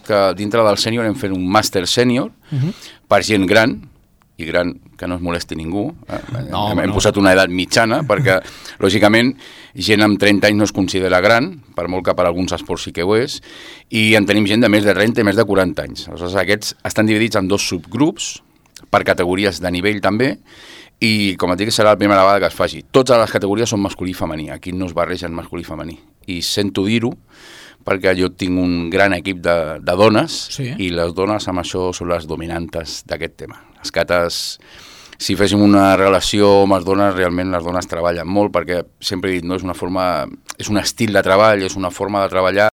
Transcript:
que dintre del sènior hem fet un màster sènior per gent gran, i gran que no es molesti ningú. Hem posat una edat mitjana perquè, lògicament, gent amb 30 anys no es considera gran, per molt que per alguns esports sí que ho és, i en tenim gent de més de 30 i més de 40 anys. Aleshores, aquests estan dividits en 2 subgrups, per categories de nivell també, i com et dic, serà la primera vegada que es faci. Totes les categories són masculí i femení, aquí no es barregen masculí i femení. I sento dir-ho, perquè jo tinc un gran equip de dones, i les dones amb això són les dominantes d'aquest tema. Les cates, si féssim una relació amb les dones, realment les dones treballen molt, perquè sempre he dit, no és una forma, és un estil de treball, és una forma de treballar